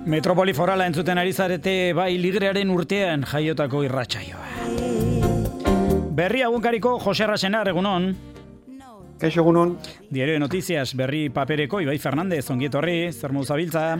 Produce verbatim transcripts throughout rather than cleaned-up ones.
Metropoli forala entzuten ari zarete bai ligrearen urtean jaiotako irratsaioa. Berri egunkariko Jose Arrasenar, egunon. Kaixo, egunon. Diario de Noticias, berri papereko Ibai Fernandez, ongi etorri, zer moduz zabiltza?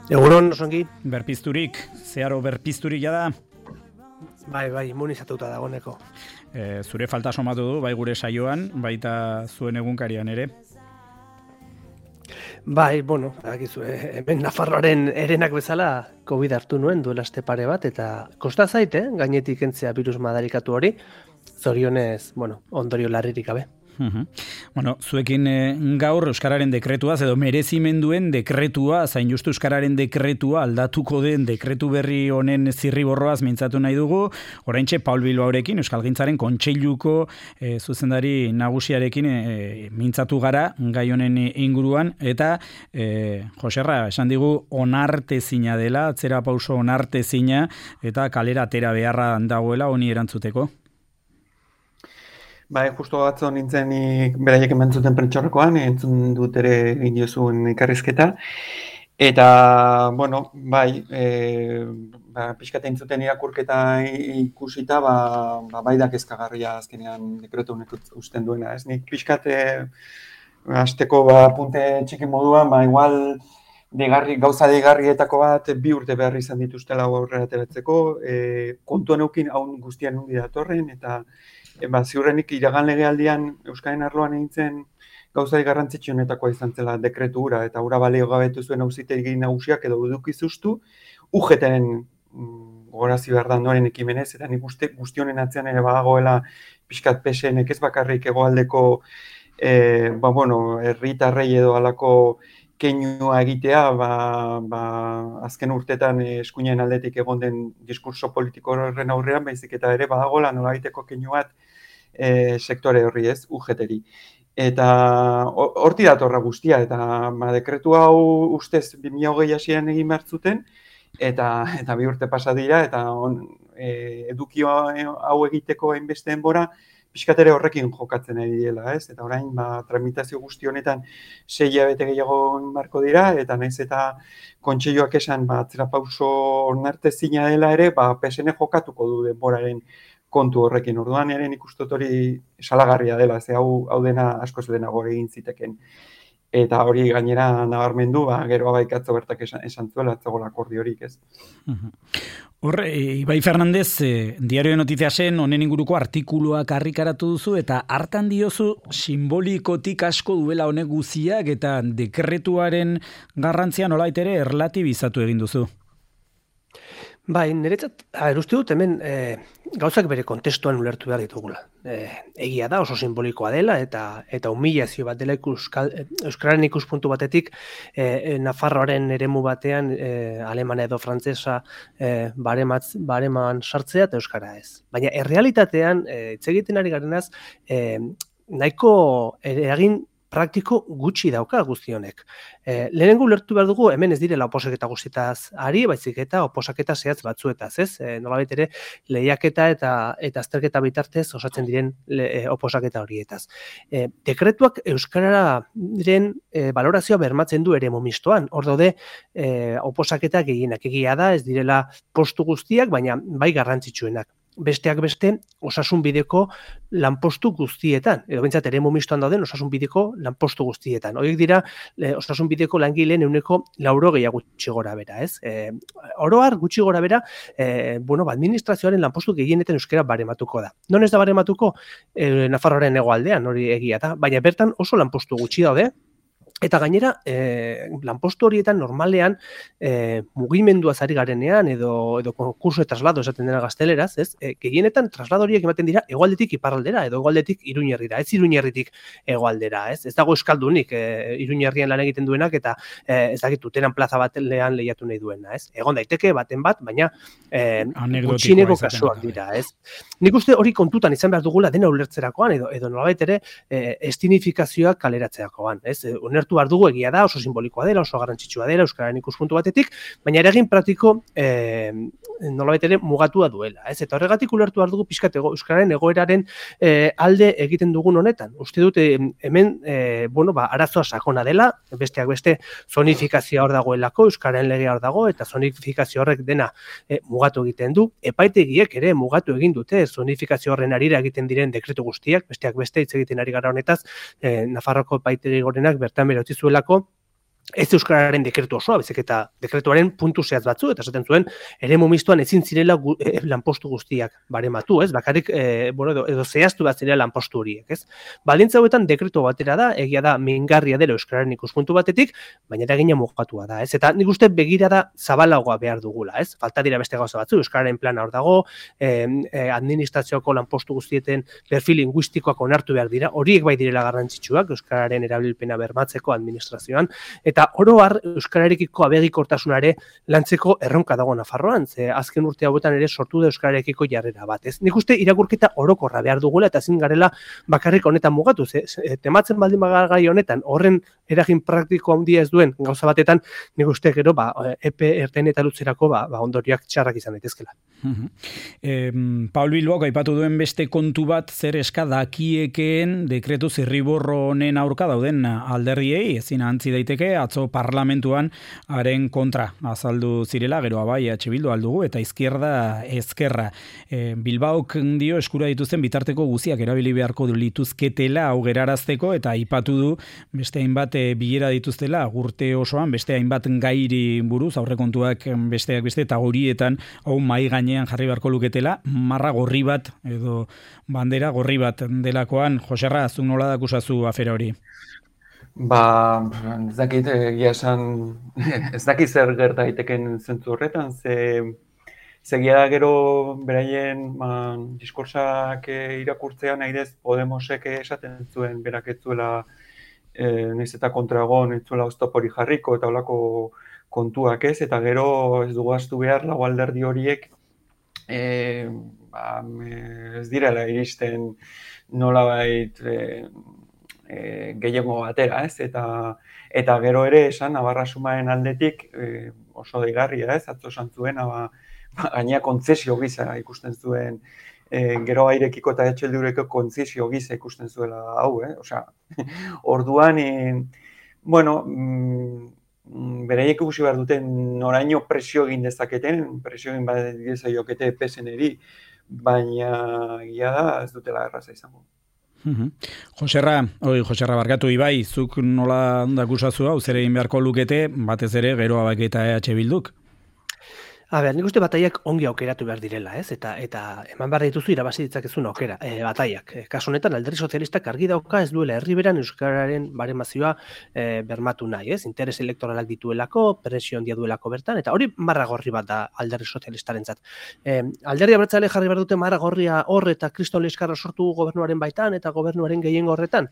Egunon, osongi. Berpizturik, zeharo berpizturik jada? Bai, bai, immunizatuta dagoeneko. E, zure falta somatu du, bai gure saioan, baita zuen egunkarian ere. Bai, bueno, dakizu, hemen Nafarroaren herenak bezala COVID hartu nuen duela aste pare bat, eta kosta zaite, eh? Gainetik entzea virus madarikatu hori, zorionez, bueno, ondorio larririk gabe. Uhum. Bueno, zuekin e, gaur Euskararen dekretuaz edo merezimenduen dekretua, zain justu Euskararen dekretua aldatuko den dekretu berri honen zirriborroaz mintzatu nahi dugu. Oraintxe Paul Bilbaorekin Euskalgintzaren kontseiluko e, zuzendari nagusiarekin e, mintzatu gara gai honen inguruan eta e, Joserra esan digu onartezina dela, atzera pauso onartezina eta kalera atera beharra dagoela honi erantzuteko. Bai, justo atzo nintzen beraiek emantzuten prentxorrekoan, entzun dut ere egin diozun ikarrizketa. Eta, bueno, bai, e, ba, pixkat entzuten irakurketa ikusita, ba, ba, bai da kezkagarria azkenean dekretu honek usten duena. Ez nik pixkat, e, hasteko ba, punte txiki moduan, ba, igual degarri, gauza degarrietako bat bi urte behar izan dituztela aurrera ateratzeko, e, kontuan eukin hau guztian hundi datorren, eta Ba, ziurrenik iragan legealdian Euskaren arloan egintzen gauzai garrantzitsuenetakoa izan zela dekretu hura, eta hura balio gabetu zuen auzitegi nagusiak edo eduki zuztu, U G T-en gogorazi behar da ondoren ekimenez, eta nik uste guztionen atzean ere badagoela pixkat P S N-ek ez bakarrik hegoaldeko e, ba, bueno, herritarrei edo halako keinua egitea, ba, ba, azken urtetan eskuinen aldetik egon den diskurso politiko horren aurrean, baizik eta ere badagoela nolabaiteko keinu bat e, sektore horri ez, U G T-ri. Eta horti datorra guztia, eta ba, dekretu hau ustez bi mila hogei hasieran egin behar zuten, eta, eta bi urte pasa dira, eta on, e, edukio hau egiteko hainbeste denbora, pixkat ere horrekin jokatzen ari dela, ez? Eta orain, ba, tramitazio guzti honetan sei hilabete gehiago marko dira, eta naiz eta kontseiluak esan, ba, atzera pauso onartezina dela ere, ba, P S N jokatuko du denboraren kontu horrekin. Orduan ere nik uste dut hori salagarria dela, ze hau, hau dena askoz lehenago egin ziteken. Eta hori gainera nabarmendu, ba, gero abaikatzo bertak esan, esan zuela, atzagola akordiorik, ez? Hor, Ibai Fernandez, eh, Diario de Noticiasen honen inguruko artikuluak argitaratu duzu, eta hartan diozu simbolikotik asko duela honek guziak, eta dekretuaren garrantzia nolait ere erlatibizatu egin duzu. Bai, niretzat, uste dut hemen e, gauzak bere kontestuan ulertu behar ditugula. E, egia da, oso simbolikoa dela, eta eta humilazio bat dela ikuskal, Euskararen ikuspuntu batetik e, Nafarroaren eremu batean e, alemana edo frantsesa e, barematz, bareman sartzea eta Euskara ez. Baina errealitatean, hitz e, egiten ari garenaz, e, nahiko eragin praktiko gutxi dauka guzti honek. E, lehenengo ulertu behar dugu, hemen ez direla oposaketa guztietaz ari, baizik eta oposaketa zehatz batzuetaz, ez? E, nolabait ere, lehiaketa eta eta azterketa bitartez osatzen diren le, e, oposaketa horietaz. E, dekretuak Euskararen e, balorazioa bermatzen du ere momistoan. Hor daude, e, oposaketa gehienak egia da, ez direla postu guztiak, baina bai garrantzitsuenak. Besteak beste, osasun bideko lanpostu guztietan, edo bintzat ere momistoan dauden osasun bideko lanpostu guztietan. Horiek dira, e, osasun bideko langileen ehuneko laurogei gutxi gora bera, ez? E, oroar gutxi gora bera, e, bueno, administrazioaren lanpostu gehienetan euskara barematuko da. Non ez da barematuko? E, Nafarroaren hegoaldean, hori egia da, baina bertan oso lanpostu gutxi daude. Eta gainera, eh, lanpostu horietan normalean eh, mugimenduaz ari garenean edo, edo konkurso de traslado esaten dena gazteleraz, ez? E, gehienetan traslado horiek ematen dira hegoaldetik iparraldera edo hegoaldetik Iruñerrira, ez Iruñerritik hegoaldera, ez? Ez dago euskaldunik e, Iruñerrian lan egiten duenak eta e, ez dakit Tuteran plaza batean lehiatu nahi duena, ez? Egon daiteke baten bat, baina e, gutxineko kasuak dira, ez? Nik uste hori kontutan izan behar dugula dena ulertzerakoan edo edo nolabait ere e, estinifikazioak kaleratzerakoan, ez? E, ulertu behar dugu egia da, oso simbolikoa dela, oso garrantzitsua dela, euskararen ikuspuntu batetik, baina eragin praktiko e, nolabait ere mugatua duela. Ez? Eta horregatik ulertu behar dugu pixkat euskararen egoeraren e, alde egiten dugun honetan. Uste dut e, hemen e, bueno, ba, arazoa sakona dela, besteak beste zonifikazioa hor dagoelako, euskararen legea hor dago, eta zonifikazio horrek dena e, mugatu egiten du. Epaitegiek ere mugatu egin dute zonifikazio horren arira egiten diren dekretu guztiak, besteak beste hitz egiten ari gara honetaz, e, Nafarroko epaitegi gorenak bertan bera utzi zuelako, ez euskararen dekretu osoa, bezik eta dekretuaren puntu zehatz batzu, eta esaten zuen, eremu mistoan ezin zirela gu, e, lanpostu guztiak barematu, ez? Bakarrik, e, bueno, edo, edo zehaztu bat zirela lanpostu horiek, ez? Baldintza hauetan dekretu batera da, egia da, mingarria dela euskararen ikuspuntu batetik, baina eragina mugatua da, ez? Eta nik uste begirada zabalagoa behar dugula, ez? Falta dira beste gauza batzu, euskararen plana hor dago, e, e, administrazioako lanpostu guztieten perfil linguistikoak onartu behar dira, horiek bai direla garrantzitsuak, euskararen erabilpena bermatzeko administrazioan, eta Eta oro har euskararekiko abegikortasunare lantzeko erronka dago Nafarroan, ze azken urte hauetan ere sortu da euskararekiko jarrera bat. Ez? Nik uste irakurketa orokorra behar dugula eta ezin garela bakarrik honetan mugatu. Ze, tematzen baldin bagai honetan horren eragin praktiko handia ez duen gauza batetan, nik uste gero ba, epe ertain eta luzerako ba, ba ondorioak txarrak izan daitezkela. Uh-huh. eh, Paul Bilbaok aipatu duen beste kontu bat zer eska dakiekeen dekretu zirriborro honen aurka dauden alderdiei, ezin antzi daiteke, atzo parlamentuan haren kontra azaldu zirela, gero abai H Bildu aldugu, eta izquierda ezkerra. E, Bilbaok dio eskura dituzten bitarteko guziak erabili beharko lituzketela hau gerarazteko, eta aipatu du beste hainbat e, bilera dituztela urte osoan, beste hainbat gairi buruz, aurrekontuak besteak beste, eta horietan hau mai gainean jarri beharko luketela, marra gorri bat, edo bandera gorri bat delakoan. Joserra, zuk nola dakusazu afera hori? Ba, ez dakit, egia esan, ez dakit zer gerta daiteken zentzu horretan, ze, zegia da gero beraien ba, diskursak irakurtzean naidez Podemosek esaten zuen berak ez zuela e, naiz eta kontragon, ez zuela oztopori jarriko eta holako kontuak ez, eta gero ez dugu ahaztu behar lau alderdi horiek e, ba, ez direla iristen nolabait e, E, gehiago batera, ez? Eta, eta gero ere esan, Navarra Sumaren aldetik e, oso deigarria, ez? Atzo esan zuen, ba, gainea kontzesio gisa ikusten zuen, e, gero airekiko eta etxeldurekiko kontzesio gisa ikusten zuela hau, eh? Osea, orduan, e, bueno, mm, beraiek ikusi behar duten noraino presio egin dezaketen, presio egin bat diezaiokete P S N-eri, baina egia da ez dutela erraza izango. Uh-huh. Joserra, oi, Joserra barkatu Ibai, zuk nola dakusazu hau, zer egin beharko lukete, batez ere gero abak eta E H Bilduk? A ber, nik uste bataiak ongi aukeratu behar direla, ez? Eta eta eman behar dituzu irabazi ditzakezun aukera, e, bataiak. E, kasu honetan alderdi sozialistak argi dauka ez duela herriberan euskararen baremazioa e, bermatu nahi, ez? Interes elektoralak dituelako, presio handia duelako bertan, eta hori marra gorri bat da alderdi sozialistarentzat. E, alderdi abertzale jarri behar dute marra gorria hor eta kriston liskarra sortu gobernuaren baitan eta gobernuaren gehiengo horretan.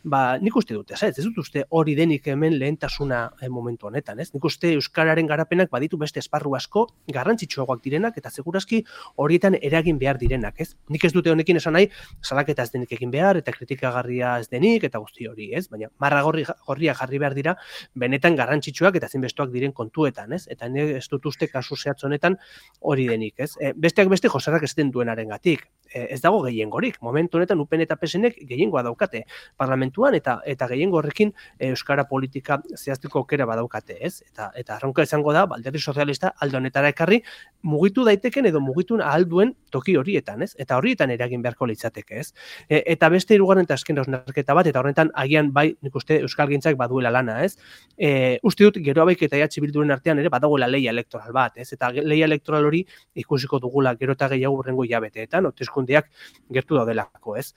Ba, nik uste dute, ez? Ez dut uste hori denik hemen lehentasuna e, momentu honetan, ez? Nik uste euskararen garapenak baditu beste esparru asko garrantzitsuagoak direnak eta segurazki horietan eragin behar direnak, ez? Nik ez dute honekin esan nahi, salaketa ez denik egin behar eta kritikagarria ez denik eta guzti hori, ez? Baina marra gorri, gorria jarri behar dira benetan garrantzitsuak eta zinbestuak diren kontuetan, ez? Eta nik ez dut uste kasu zehatz honetan hori denik, ez? E, besteak beste Joserrak esaten duenarengatik. E, ez dago gehiengorik. Momentu honetan U P N eta P S Nek gehiengoa daukate parlamentuan eta eta gehiengo horrekin e, euskara politika zehazteko aukera badaukate, ez? Eta eta arronka izango da alderdi sozialista alde honetara ekarri mugitu daiteken edo mugitu ahal duen toki horietan, ez? Eta horietan eragin beharko litzateke, ez? E, eta beste hirugarren eta azken hausnarketa bat, eta horretan agian bai nik uste euskalgintzak baduela lana, ez? E, uste dut gero abaik eta E H Bilduren artean ere badagoela leia elektoral bat, ez? Eta leia elektoral hori ikusiko dugula gero eta gehiago hurrengo hilabeteetan, hauteskundeak gertu daudelako, ez?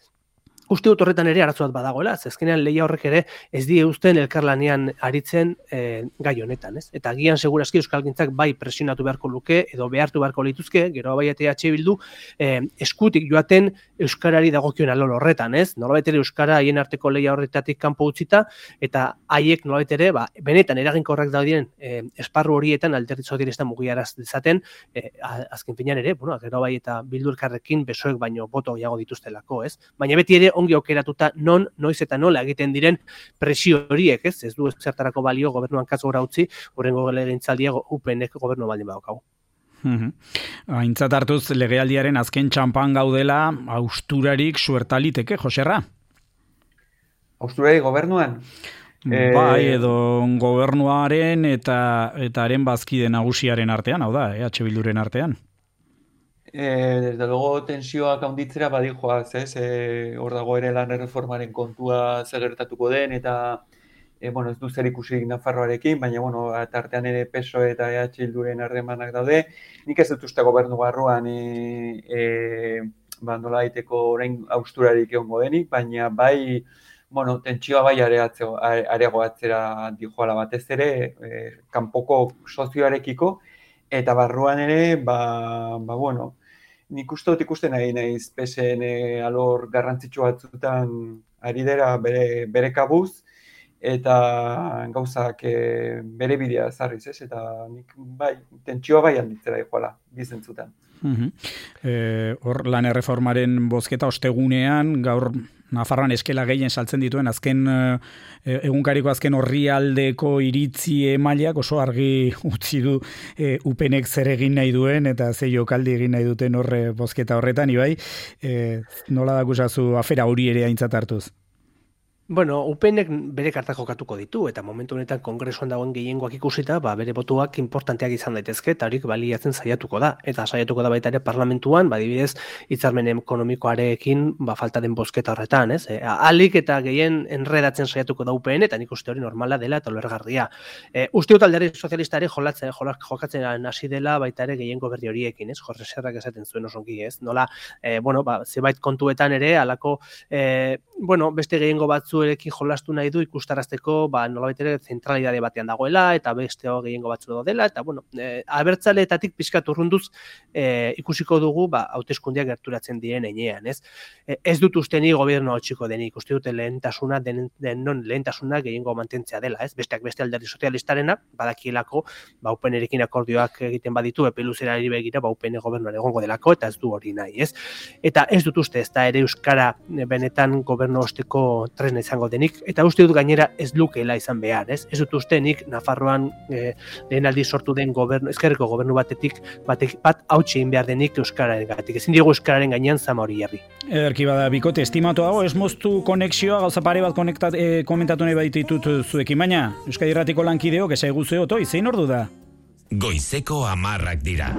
Uste dut horretan ere arazo bat badagoela, azkenean lehia horrek ere ez die uzten elkarlanean aritzen e, gai honetan, ez? Eta agian segurazki euskalgintzak bai presionatu beharko luke edo behartu beharko lituzke, gero bai eta E H Bildu e, eskutik joaten euskarari dagokion alor horretan, ez? Nolabait ere euskara haien arteko lehia horretatik kanpo utzita eta haiek nolabait ere ba, benetan eraginkorrak daudien e, esparru horietan alderdi sozialista mugiaraz dezaten, e, azken finean ere, bueno, gero bai eta Bildu elkarrekin besoek baino boto gehiago dituztelako, ez? Baina beti ere ongi aukeratuta non, noiz eta nola egiten diren presio horiek, ez? Ez du zertarako balio gobernuan kasu gora utzi, horrengo legegintzaldia U P Nek gobernu baldin badaukagu. Aintzat hartuz legealdiaren azken txampan gaudela, hausturarik suertaliteke, Joserra? Hausturarik gobernuan? Bai, edo gobernuaren eta eta haren bazkide nagusiaren artean, hau da, eh, H Bilduren artean. Eh, desde luego tensioak handitzera badijoaz, ez? Eh, hor dago ere lan erreformaren kontua zer gertatuko den eta eh, bueno, ez du zer ikusirik Nafarroarekin, baina bueno, tartean ere P S O E eta E H Bilduren harremanak daude. Nik ez dut uste gobernu barruan eh, eh, ba, nola daiteko orain hausturarik egongo denik, baina bai bueno, tentsioa bai areagoatzera dijoala batez ere, eh, kanpoko sozioarekiko, eta barruan ere, ba, ba bueno, nik uste dut ikusten nahi naiz P S en alor garrantzitsu batzutan ari dira bere, bere kabuz, eta gauzak e, bere bidea zarriz, ez? Eta nik bai, tentsioa bai handitzera dijoala, bizentzutan. Hor e, lan erreformaren bozketa ostegunean, gaur Nafarroan eskela gehien saltzen dituen azken e, egunkariko azken orrialdeko iritzi mailak oso argi utzi du e, U P Nek zer egin nahi duen eta ze jokaldi egin nahi duten horre bozketa horretan, Ibai, e, nola dakusazu afera hori ere aintzat hartuz? Bueno, U P Nek bere kartak jokatuko ditu, eta momentu honetan kongresuan dagoen gehiengoak ikusita, ba, bere botuak importanteak izan daitezke, eta horik baliatzen saiatuko da. Eta saiatuko da baita ere parlamentuan, badibidez, hitzarmen ekonomikoarekin ba, falta den bozketa horretan, ez? E, alik eta gehien enredatzen saiatuko da U P N, eta nik uste hori normala dela eta ulergarria. E, uste dut alderdi sozialistari jolatzen, jokatzen hasi dela baita ere gehiengo berri horiekin, ez? Jorge Serrak esaten zuen osongi, ez? Nola, e, bueno, ba, zebait kontuetan ere, alako, e, bueno, beste gehiengo batzu erekin jolastu nahi du ikustarazteko ba, nolabait ere zentralidade batean dagoela eta beste gehiengo batzu dela eta bueno, e, abertzaleetatik pizkat urrunduz e, ikusiko dugu ba, hauteskundeak gerturatzen diren heinean, ez? E, ez dut uste ni gobernu hautsiko denik, uste dute lehentasuna den, denon lehentasuna gehiengo mantentzea dela, ez? Besteak beste alderdi sozialistarena, badakielako ba, U P Nerekin akordioak egiten baditu epe luzerari begira ba, U P N gobernuan egongo delako eta ez du hori nahi, ez? Eta ez dut uste ez da ere euskara benetan gobernu osteko tresna izango denik, eta uste dut gainera ez lukeela izan behar, ez? Ez dut uste nik Nafarroan e, lehen aldi sortu den gobernu, ezkerreko gobernu batetik batek, bat hautsi egin behar denik euskararen gatik. Ezin diego euskararen gainean zama hori jarri. Ederki bada, bikote, estimatu dago, ez moztu konexioa, gauza pare bat konektat, e, komentatu nahi baititut zuekin, baina Euskadi Irratiko lankideok, esai guzeo, toi, zein ordu da? Goizeko amarrak dira.